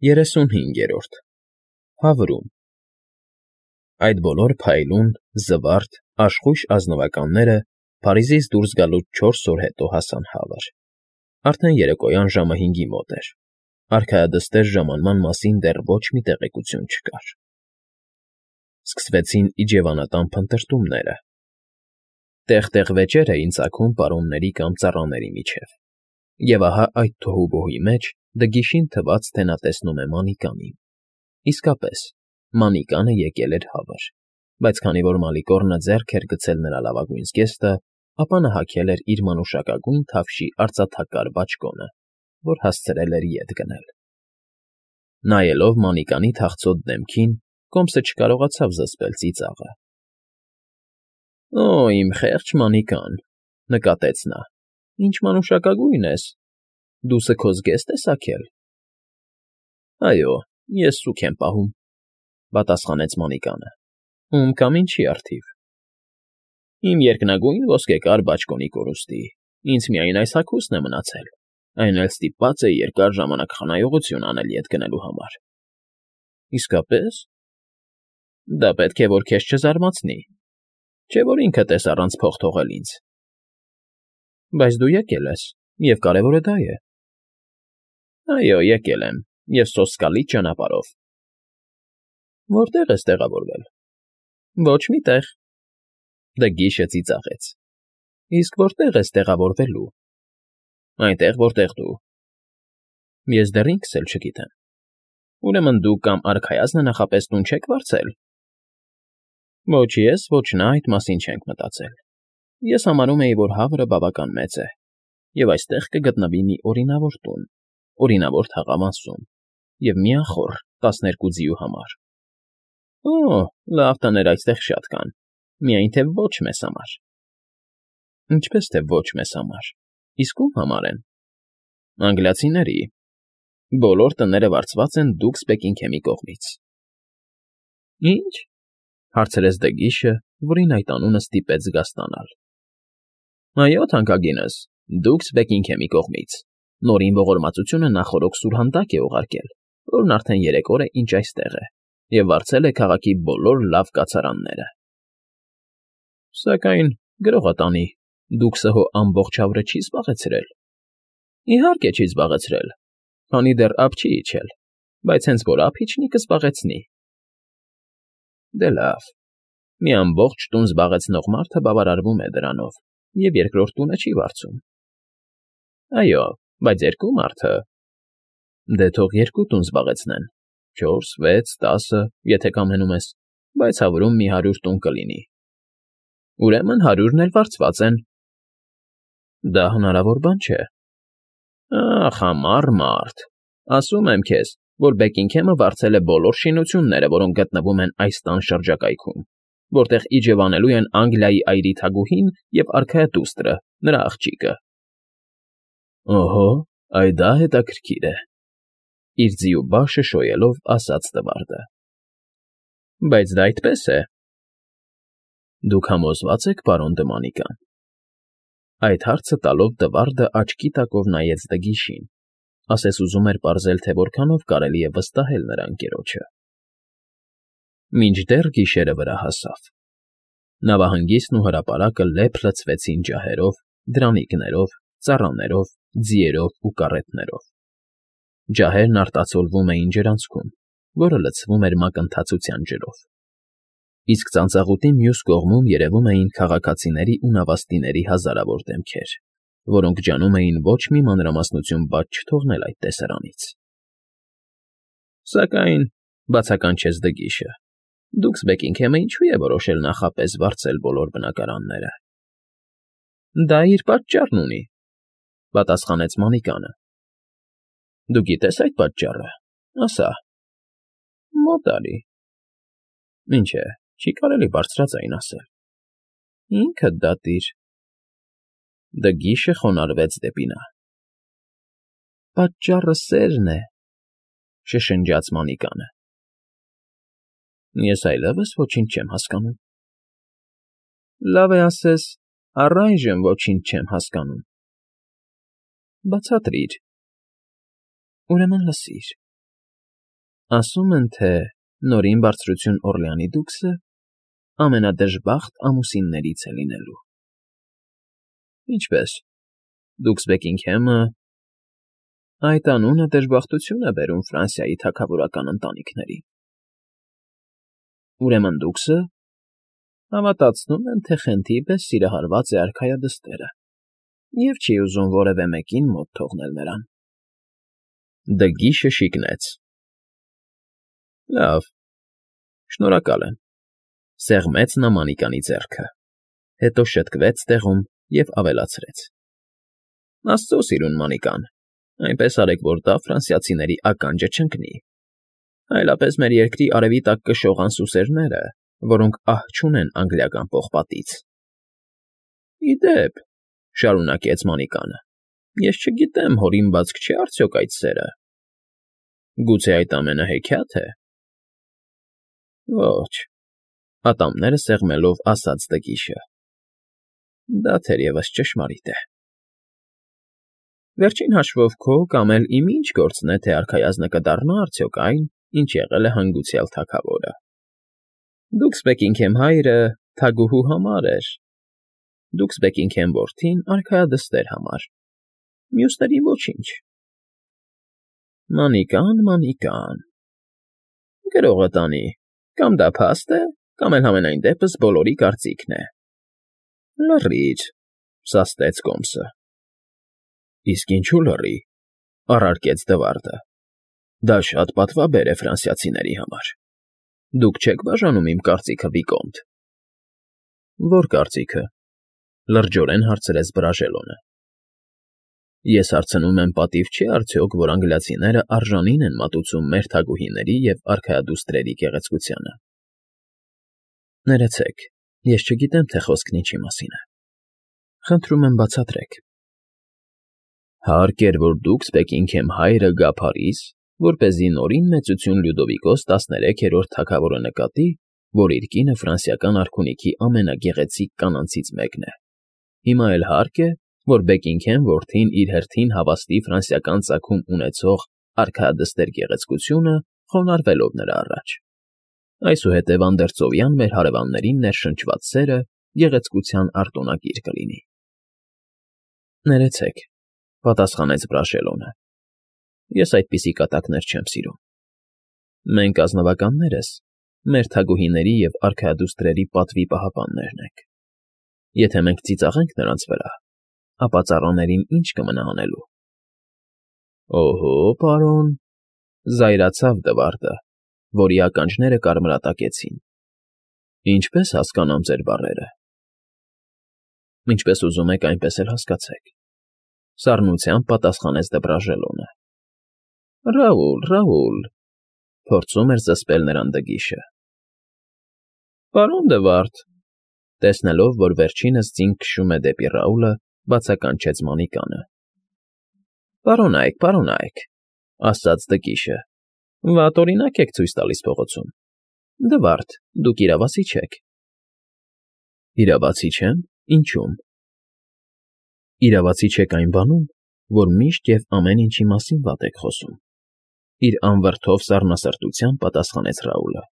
35-րդ Հավրում Այդ բոլոր փայլուն, զվարթ, աշխույժ ազնվականները Փարիզից դուրս գալուց 4 օր հետո հասան Հավր. արդեն երեկոյան ժամը 5-ի մոտ էր, արքայադստեր ժամանման մասին դեռ ոչ մի տեղեկություն չկար. Սկսվեցին իջևանական փնտրտումները. տեղ-տեղ վեճեր էին ծագում պարոնների կամ ծառաների միջև, և ահա այդ թոհուբոհի մեջ Դգիշին թվաց, թե նա տեսնում է Մանիկանին. իսկապես, Մանիկանը եկել էր Հավր, բայց քանի որ Մալիկոռնը ձեռք էր գցել նրա լավագույն զգեստը, ապա նա հագել էր իր մանուշակագույն թավշի արծաթակար բաճկոնը, որ հասցրել էր ետ գնել. Նայելով Մանիկանի թախծոտ դեմքին, կոմսը չկարողացավ զսպել ծիծաղը. «Օ, իմ խեղճ Մանիկան,֊ նկատեց նա,֊ ինչ մանուշակագույն ես, դու սգո զգեստ ես հագել»։ «Այո, ես սուգ եմ պահում,֊ պատասխանեց Մանիկանը,֊ ում կամ ինչի առթիվ»։ «Իմ երկնագույն ոսկեկար բաճկոնի կորուստի, ինձ միայն այս հագուստն է մնացել, այն էլ ստիպված էի երկար ժամանակ խնայողություն անել ետ գնելու համար»։ «Իսկապե՞ս»։ «Դա պետք է որ քեզ չզարմացնի, չէ՞ որ ինքդ ես առանց փող թողել ինձ»։ «Բայց դու եկել ես, և կարևորը դա է»։ «Այո, եկել եմ, և սոսկալի ճանապարհով»։ «Որտե՞ղ ես տեղավորվել»։ «Ոչ մի տեղ»։ Դգիշը ծիծաղեց։ «Իսկ որտե՞ղ ես տեղավորվելու»։ «Այնտեղ, որտեղ դու»։ «Ես դեռ ինքս էլ չգիտեմ»։ «Ուրեմն դուք կամ արքայազնը նախապես տուն չեք վարձել»։ «Ոչ ես, ոչ նա այդ մասին չենք մտածել։ Ես համարում էի, որ Հավրը բավական մեծ է, և այստեղ կգտնվի մի օրինավոր տուն, օրինավոր թաղամասում, և միախոռ 12 ձիու համար»։ «Օ, լավ տներ այստեղ շատ կան, միայն թե ոչ մեզ համար»։ «Ինչպես թե ոչ մեզ համար, իսկ ո՞ւմ համար են»։ «Անգլիացիների. բոլոր տները վարձված են Դուքս Բեքինգհեմի կողմից»։ «Ի՞նչ»։ Հարցրեց Դգիշը, որին այդ անունը ստիպեց զգաստանալ։ «Այո, թանկագինս, Դուքս Բեքինգհեմի կողմից, նորին ողորմածությունը նախօրոք սուրհանդակ է ուղարկել, որն արդեն 3 օր է, ինչ այստեղ է, և վարձել է քաղաքի բոլոր լավ կացարանները»։ «Սակայն, գրողը տանի, Դուքսը հո ամբողջ Հավրը չի զբաղեցրել»։ «Իհարկե չի զբաղեցրել, քանի դեռ ափ չի իջել, բայց հենց որ ափ իջնի, կզբաղեցնի»։ «Դե լավ, մի ամբողջ տուն զբաղեցնող մարդը բավարարվում է դրանով և երկրորդ տունը չի վարձում»։ «Այո, բայց երկու մարդը»։ «Դե թող 2 տուն զբաղեցնեն, 4, 6, 10, եթե կամենում ես, բայց Հավրում մի 100 տուն կլինի»։ «Ուրեմն 100-ն էլ վարձված են»։ «Դա հնարավոր բան չէ»։ «Ախ, համառ մարդ, ասում եմ քեզ, որ Բեքինգհեմը վարձել է բոլոր շինությունները, որոնք գտնվում են այս տան շրջակայքում, որտեղ իջևանելու են Անգլիայի այրի թագուհին և արքայադուստրը, նրա աղջիկը»։ «Օհո, այ դա հետաքրքիր է», իր ձիու բաշը շոյելով ասաց Տվարդը։ «Բայց դա այդպես է»։ «Դուք համոզվա՞ծ եք, պարոն դը Մանիկան»։ Այդ հարցը տալով Տվարդը աչքի տակով նայեց Դգիշին, ասես ուզում էր պարզել, թե որքանով կարելի է վստահել նրա ընկերոջը։ Մինչդեռ գիշերը վրա հասավ։ Նավահանգիստն ու հրապարակը լեփ լցվեցին ջահերով, դրանիկներով, ծառաներով, ձիերով ու կառետներով։ Ջահերն արտացոլվում էին ջրանցքում, որը լցվում էր մակընթացության ջրով։ Իսկ ծանծաղուտի մյուս կողմում երևում էին քաղաքացիների ու նավաստիների հազարավոր դեմքեր, որոնք ջանում էին ոչ մի մանրամասնություն բաց չթողնել այդ տեսարանից։ «Սակայն,֊ բացականչեց Դգիշը,֊ Դուքս Բեքինգհեմը ինչու է որոշել նախապես վարձել բոլոր բնակարանները»։ «Դա իր պատճառն ունի», պատասխանեց Մանիկանը։ «Դու գիտես այդ պատճառը, ասա»։ «Մոտ արի»։ «Ինչ է, չի կարելի բարձրաձայն ասել»։ «Ինքդ դատիր»։ Դգիշը խոնարհվեց դեպի նա։ «Պատճառը սերն է», շշնջաց Մանիկանը։ «Ես այլևս ոչինչ չեմ հասկանում»։ «Լավ է ասես, առայժմ ոչինչ չեմ հասկանում»։ «Բացատրիր»։ «Ուրեմն լսիր։ Ասում են, թե նորին բարձրություն Օրլեանի դուքսը ամենադժբախտ ամուսիններից է լինելու։ Ինչպես, դուքս Բեկինգհեմը… Այդ անունը դժբախտություն է բերում Ֆրանսիայի թագավորական ընտանիքներին։ Ուրեմն դուքսը… Հավատացնում եմ, թե խենթի պես սիրահարված է արքայադստերը և չի ուզում որևէ մեկին մոտ թողնել նրան։ Դգիշը շիկնեց։ Լավ, շնորհակալ եմ, սեղմեց նա Մանիկանի ձեռքը, հետո շտկվեց տեղում և ավելացրեց. Աստծո սիրուն Մանիկան, այնպես արեք, որ դա ֆրանսիացիների ականջը չընկնի, այլապես մեր երկրի արևի տակ կշողան սուսերները, որոնք ահ չունեն անգլիական պողպատից։ Ի դեպ, շարունակեց Մանիկանը, ես չգիտեմ, հորինվածք չէ՞ արդյոք այդ սերը։ Գուցե այդ ամենը հեքիաթ է։ Ոչ, ատամները սեղմելով ասաց Դգիշը։ Դա թերևս ճշմարիտ է։ Վերջին հաշվով քո կամ էլ իմ ինչ գործն է, թե արքայազնը կդառնա արդյոք այն, ինչ եղել է հանգուցյալ թագավորը։ Դուքս Բեկինգհեմ հայրը թագուհու համար էր, դուքս Բեկինգհեմ որդին արքայադստեր համար, մյուսներին ոչինչ։ Մանիկան, գրողը տանի, կամ դա փաստ է, կամ էլ համենայն դեպս բոլորի կարծիքն է։ Լռիր, սաստեց Կոմսը։ Իսկ ինչու լռի, առարկեց Դվարդը։ Դա շատ պատվաբեր է ֆրանսիացիների համար։ Դուք չեք բաժանում իմ կարծիքը, Վիկոմտ։ Ո՞ր կարծիքը, լրջորեն հարցրեց Բրաժելոնը։ Ես հարցնում եմ, պատիվ չի արդյոք, որ անգլիացիները արժանին են մատուցում մեր թագուհիների և արքայադուստրերի գեղեցկությանը։ Ներեցեք, ես չգիտեմ, թե խոսքն ինչի մասին է։ Խնդրում եմ բացատրեք։ Հարկ էր, որ դուքս Բեկինգհեմ հայրը գա Փարիզ, որպեսզի նորին մեծություն Լյուդովիկոս 13-րդ թագավորը նկատի, որ իր կինը ֆրանսիական արքունիքի ամենագեղեցիկ կանանցից մեկն է։ Հիմա էլ հարկ է, որ Բեկինգհեմ որդին իր հերթին հավաստի ֆրանսիական ծագում ունեցող արքայադստեր գեղեցկությունը, խոնարհվելով նրա առաջ։ Այսուհետև անդերձովյան մեր հարևաններին ներշնչված սերը գեղեցկության արտոնագիր կլինի։ Ներեցեք, պատասխանեց Բրաշելոնը։ Ես այդպիսի կատակներ չեմ սիրում։ Մենք ազնվականներս մեր թագուհիների և արքայադուստրերի պատվի պահապաններն ենք։ Եթե մենք ծիծաղենք նրանց վրա, ապա ծառաներին ինչ կմնա անելու։ Օհո, պարոն, զայրացավ Դվարդը, որի ականջները կարմրատակեցին։ Ինչպես հասկանամ ձեր բառերը։ Ինչպես ուզում եք, այնպես էլ հասկացեք, սառնությամբ պատասխանեց Դբրաժելոնը։ Ռաուլ, փորձում էր զսպել նրան Դգիշը։ Պարոն Դվարդ, տեսնելով, որ վերջինս ձին քշում է դեպի Ռաուլը, բացականչեց Մանիկանը։ Պարոնայք, ասաց Դգիշը, վատ օրինակ եք ցույց տալիս փողոցում։ Դվարդ, դուք իրավացի չեք։ Իրավացի չեմ, ինչու՞մ։ Իրավացի չեք այն բանում, որ միշտ և ամեն ինչի մասին վատ եք խոսում։ Իր անվրդով սառնասրտությամբ պատասխանեց Ռաուլը։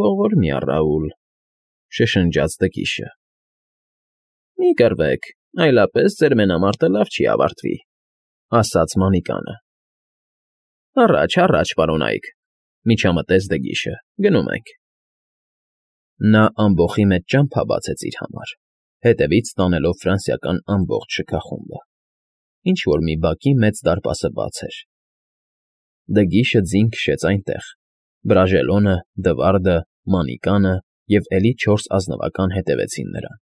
Ողորմյա Ռաուլ, շշնջաց Դգիշը։ Մի կռվեք, այլապես ձեր մենամարտը լավ չի ավարտվի, ասաց Մանիկանը։ Առաջ, պարոնայք, միջամտեց Դգիշը, գնում ենք։ Նա ամբոխի մեջ ճամփա բացեց իր համար, հետևից տանելով ֆրանսիական ամբողջ շքախումբը։ Ինչ-որ մի բակի մեծ դարպասը բաց էր։ Դգիշը ձին քշեց այնտեղ, Բրաժելոնը, Դվարդը, Մանիկանը և էլի 4 ազնվական հետևեցին նրան։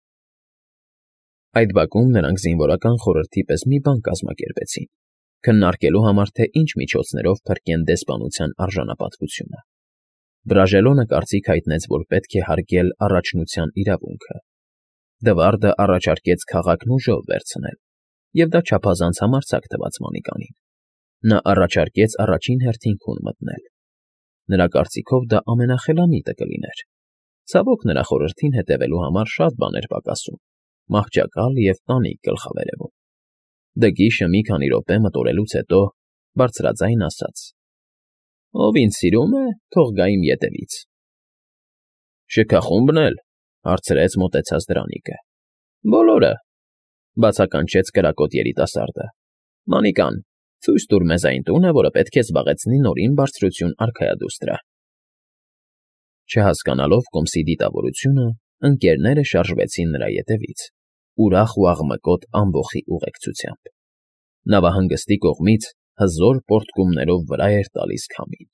Այդ բակում նրանք զինվորական խորհրդի պես մի բան կազմակերպեցին, քննարկելու համար, թե ինչ միջոցներով փրկեն դեսպանության արժանապատվությունը։ Բրաժելոնը կարծիք հայտնեց, որ պետք է հարգել առաջնության իրավունքը։ Դվարդը առաջարկեց քաղաքն ուժով վերցնել, և դա չափազանց համարձակ թվաց Մանիկանին։ Նա առաջարկեց առաջին հերթին քուն մտնել։ Նրա կարծիքով դա ամենախելամիտը կլիներ։ Ցավոք նրա խորհրդին հետևելու համար շատ բան էր պակասում, մահճակալ և տանիք գլխավերևում։ Դգիշը մի քանի րոպե մտորելուց հետո բարձրաձայն ասաց. Ով ինձ սիրում է, թող գա իմ ետևից։ Շքախումբն էլ,֊ հարցրեց մոտեցած Դրանիկը։ Բոլորը,֊ բացականչեց կրակոտ երիտասարդը։ Մանիկան, ցույց տուր մեզ այն տունը, որը պետք է զբաղեցնի Նորին Բարձրություն արքայադուստրը։ Չհասկանալով կոմսի դիտավորությունը, ընկերները շարժվեցին նրա ետևից, ուրախ ու աղմկոտ ամբոխի ուղեկցությամբ։ Նավահանգստի կողմից հզոր պոռթկումներով վրա էր տալիս քամին։